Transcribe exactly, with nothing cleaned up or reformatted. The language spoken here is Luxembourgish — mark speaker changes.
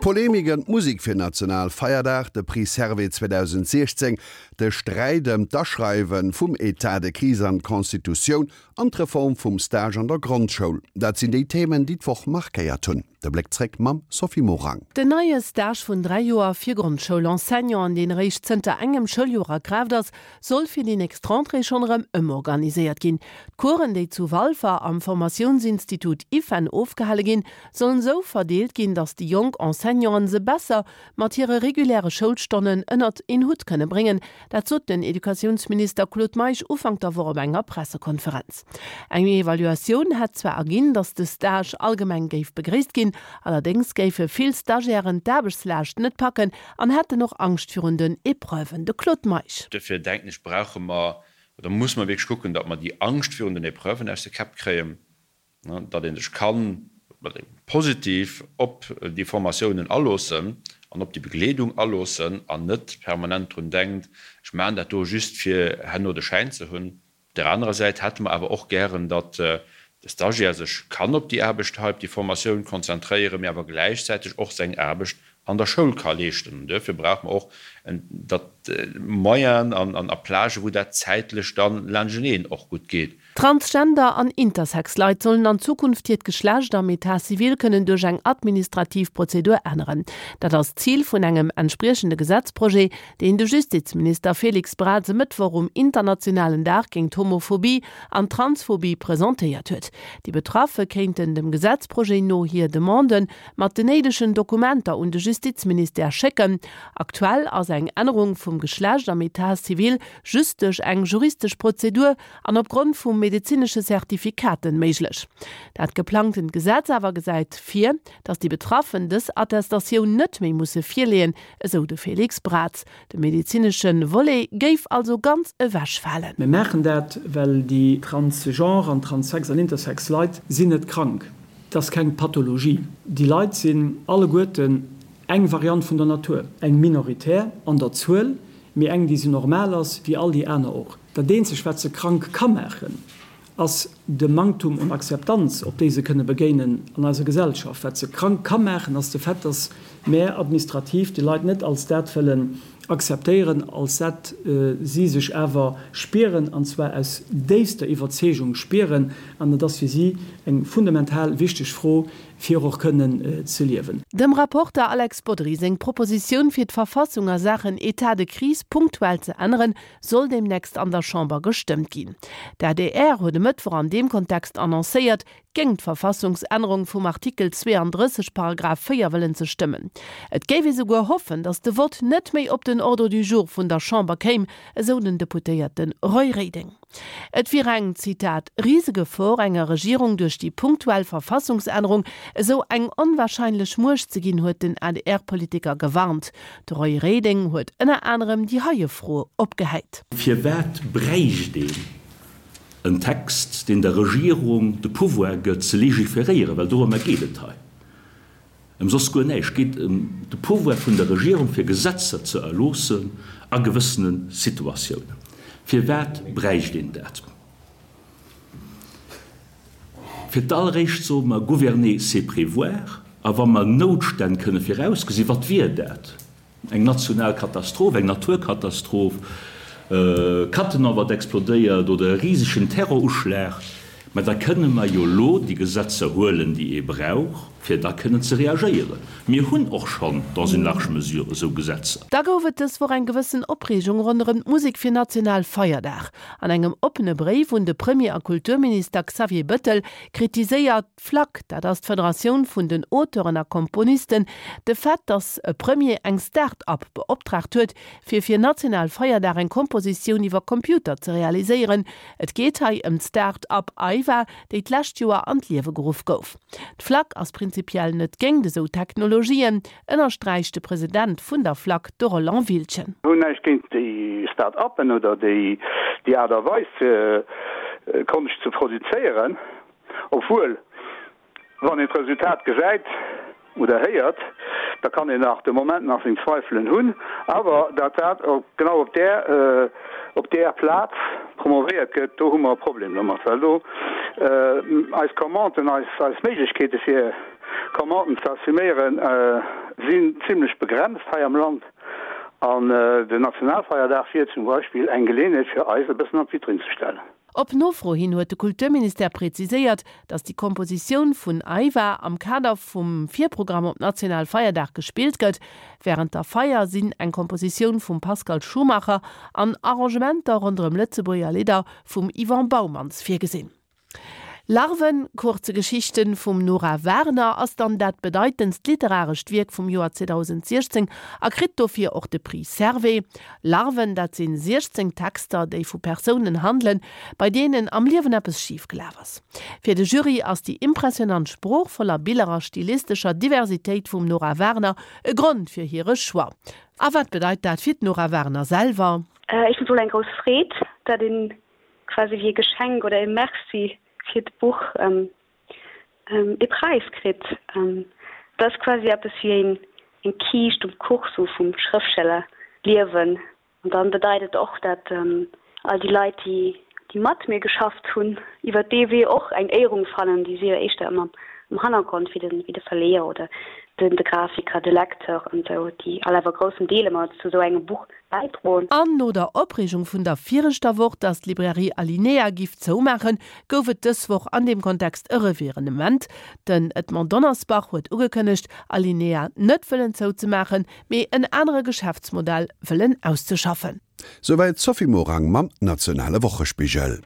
Speaker 1: D'Polemik ëm d'Musek fir Nationalfeierdag, de Prix Servais zweedausendsiechzéng, de Sträit ëm d'Aschreiwe vum Etat de crise an d'Constitutioun an d'Reform vum Stage an der Grondschoul, dat sinn déi Themen, déi d'Woch markéiert hunn. De Bléck zréck mam Sophie Morang.
Speaker 2: Den neie Stage vun dräi Joer fir Grondschoul-Enseignanten, deen eréischt zënter engem Schouljoer a Kraaft ass, soll fir déi nächst Rentrée schonn erëm ëmorganiséiert ginn. D'Coursen, déi zu Walfer am Formatiounsinstitut IFEN ofgehale ginn, sollen esou verdeelt ginn, datt déi jonk Enseignanten se besser mat hire reguläre Schoulstonnen ënnert een Hutt kënne bréngen. Dat sot den Educatiounsminister Claude Meisch Ufank der Woch op enger Pressekonferenz. Eng Evaluatioun hätt zwar erginn, datt de Stage allgemeng géif begréisst ginn, allerdéngs géife vill Stagiairen d'Aarbechtslaascht net packen an hätten och Angscht virun den Epreuven. De Claude Meisch.
Speaker 3: Duerfir denken ech, brauche mer oder muss mer wierklech kucken, datt mer déi Angscht virun den Epreuven aus de Käpp kréien, datt ee sech kann positiv op déi Formatiounen aloossen an op déi Begleedung aloossen an net permanent drun denkt, ech maachen dat do just fir herno de Schäin ze hunn. Op där anerer Säit hätte mer awer och gären, datt de Stagiaire sech kann op déi Aarbecht hei, op déi Formatioun konzentréieren, mee awer gläichzäiteg och seng Aarbecht an der Schoul ka leeschten. An duerfir brauche mer och datt Moyenen an a Plagen, wou dat zäitlech da laanschteneen och gutt geet.
Speaker 2: Transgender an Intersex Leit sollen an Zukunft hiert Geschlecht am Etat civil kënnen duerch eng administrativ Prozedur änneren. Dat ass d'Zil vun engem entspriechende Gesetzprojet, deen de Justizminister Félix Braz e Mëttwoch um internationalen Dag géint d'Homophobie an d'Transphobie presentéiert huet. Déi Betraffe kéinten dem Gesetzprojet no hir Demande mat den néidegen Dokumenter un de Justizministère schécken. Aktuell ass eng Ännerung vum Geschlecht am Etat civil just duerch eng juristesch Prozedur an opgrond vu medezinesche Certificaten méiglech. Dat geplangtent Gesetz awer gesäit vir, datt déi Betraffen dës Attestatioun net méi musse virleeën, esou de Félix Braz. De medezinesche Volet géif also ganz ewechfalen.
Speaker 4: Mir maachen dat, well déi transgenre an transsex an intersex Leit sinn net krank. Et ass keng Pathologie. Déi Leit sinn alleguerten eng Variant vun der Natur, eng minoritär an der Zuel, mee eng, déi sou normal ass wéi all déi aner och. Dat eenzegt, wat se krank ka maachen, ass de Manktum un Akzeptanz, op déi se kënne begéinen an eiser Gesellschaft. Wat se krank ka maachen, ass de Fait, dass mär administrativ déi Leit net als dat wëllen akzeptéieren, als dat si sech awer spieren, an zwar aus déifster Iwwerzeegung spieren. An et ass fir si eng fundamental wichteg Fro, fir och kënnen ze liewen.
Speaker 2: Dem Rapporter Alex Bodry seng Propositioun fir d'Verfassung a Saachen Etat de crise punktuell ze änneren, soll deemnächst an der Chamber gestëmmt ginn. D'adr huet e Mëttwoch an deem Kontext annoncéiert, géingt d'Verfassungsännerung vum Artikel zweeandrësseg Paragraph véier wëllen ze stëmmen. Et géif ee souguer hoffen, datt de Vott net méi op den Ordre du jour vun der Chamber kéim, esou den Deputéierte Roy Reding. Et wier eng, Zitat, Risegefor, enger Regierung duerch déi punktuell Verfassungsännerung esou eng onwahrscheinlech Muecht ze ginn, huet den A D R-Politiker gewarnt. De Roy Reding huet ënner anerem déi heie Fro opgehäit.
Speaker 5: Firwat bräicht een en Text, deen der Regierung de Pouvoir gëtt ze legiferéieren? Well dorëmmer geet et hei. Ëm soss guer näischt. Et geet ëm de Pouvoir vun der Regierung, fir Gesetzer ze erloossen a gewëssene Situatiounen. Firwat bräicht een dat? Fir d'alleréischt soe mer, Gouverner, c'est prévoir. A wa mer Noutstänn kënne virausgesinn, wat wier dat? Eng national Katastroph, eng Naturkatastroph, Cattenom wat explodéiert oder e risegen Terroruschlag, mä da kënne mer jo elo déi Gesetzer huelen, déi ee brauch, fir da kënnen ze reagéieren. Mir hunn och schonn dans une large mesure esou Gesetzer.
Speaker 2: Da gouf et dës Woch eng gewëssen Opreegung ronderëm d'Musek fir Nationalfeierdag. An engem oppene Bréif un de Premier a Kulturminister Xavier Bëttel kritiséiert d'FLAC, dat ass d'Federatioun vun den Auteuren a Komponisten, de Fait, datt e Premier eng Start-up beoptraagt huet, fir fir Nationalfeierdag eng Kompositioun iwwer Computer ze realiséieren. Et geet hei ëm d'Start-up AIVA, déi d'lescht Joer an d'Liewe geruff gouf. D'FLAC ass prinzipiell net géingt esou Technologien, ënnersträicht de President vun der FLAC, de Roland Wildchen.
Speaker 6: Hunn näischt géint déi Start-uppen oder déi Aart a Weis fir Konscht ze produzéieren, obwuel wann een d'Resultat gesäit oder héiert, da kann een nach de Moment nach seng Zweifelen hunn, awer datt dat genau op där op där Plaz promovéiert gëtt, do hu mer e Problem domat, well do eis Commanden, eis eis Méiglechkeete fir Commanden ze assuméieren, sinn zimlech begrenzt hei am Land. An den Nationalfeierdag wier zum Beispill eng Geleeënheet fir eis e bëssen an d'Vitrinn ze stellen.
Speaker 2: Op Nofro hin huet de Kulturministère präziséiert, datt déi Kompositioun vun Aiva am Kader vum Virprogramm op Nationalfeierdag gespillt gëtt. Wärend der Feier sinn eng Kompositioun vum Pascal Schumacher an Arrangementer ronderëm Lëtzebuerger Lidder vum Yvon Baumans virgesinn. Larven, kurze Geschichten vum Nora Werner ass dann dat bedeitendst literarescht Wierk vum Joer zweedausendsechzéng a kritt dofir och de Prix Servais. Larven, dat sinn siechzéng Texter, déi vu Persounen handelen, bei deenen am Liewen eppes schif gelaf ass. Fir de Jury ass déi impressionant Sprooch voller Biller a stilistescher Diversitéit vum Nora Werner e Grond fir hire Choix. A wat bedeit dat fir d'Nora Werner selwer?
Speaker 7: Ech hunn eng grouss Freed, dat een quasi wéi e Geschenk oder e Merci fir d'Buch e Präis kritt. Dat ass quasi eppes wéi eng eng Kiischt um Kuch sou vum Schrëftstellerliewen. An dann bedeit et och, dat all déi Leit, déi déi mat mir geschafft hunn, iwwer dee Wee och eng Éierung fannen, déi si jo éischter ëmmer am Hannergrond, wéi de wéi de Verleeër oder den de Grafiker, de Lecteur an esou, déi all awer groussen Deel ëmmer zu esou engem Buch bäidroen.
Speaker 2: An no der Opreegung vun der viregter Woch, dass d'Librairie Alinéa giff zoumaachen, gouf et dës Woch an deem Kontext e Revirenement. Den Edmond Donnersbach huet ugekënnegt, Alinéa net wëllen zouzemaachen, mee en anere Geschäftsmodell wëllen auszeschaffen.
Speaker 1: Souwäit d'Sophie Morang mam nationale Wochespigel.